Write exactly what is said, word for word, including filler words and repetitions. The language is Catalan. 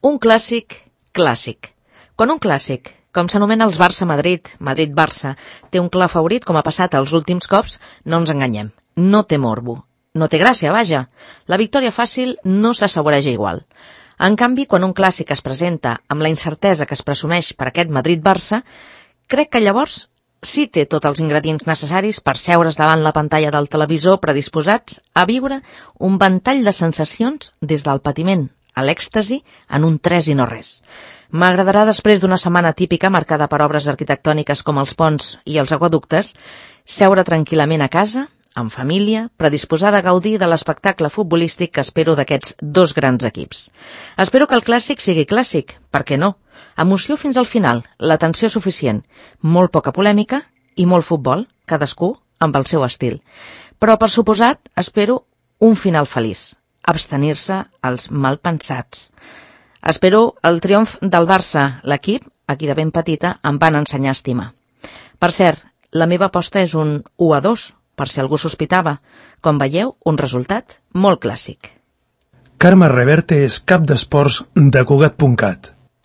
Un clàssic, clàssic. Quan un clàssic, com s'anomena els Barça-Madrid, Madrid-Barça, té un clar favorit com ha passat els últims cops, no ens enganyem. No té morbo. No té gràcia, vaja. La victòria fàcil no s'assaboreja igual. En canvi, quan un clàssic es presenta amb la incertesa que es presumeix per aquest Madrid-Barça, crec que llavors sí té tots els ingredients necessaris per seure's davant la pantalla del televisor predisposats a viure un ventall de sensacions des del patiment a l'èxtasi en un tres i no res. M'agradarà, després d'una setmana típica marcada per obres arquitectòniques com els ponts i els aqüeductes, seure tranquil·lament a casa, en família, predisposada a gaudir de l'espectacle futbolístic que espero d'aquests dos grans equips. Espero que el clàssic sigui clàssic, per què no? Emoció fins al final, la tensió suficient, molt poca polèmica i molt futbol, cadascú amb el seu estil. Però, per suposat, espero un final feliç, abstenir-se als malpensats. Espero el triomf del Barça, l'equip, a qui de ben petita em van ensenyar a estimar. Per cert, la meva aposta és un u a dos, per si algú sospitava. Com veieu, un resultat molt clàssic. Carme Reverte és cap d'esports de Cugat punt cat.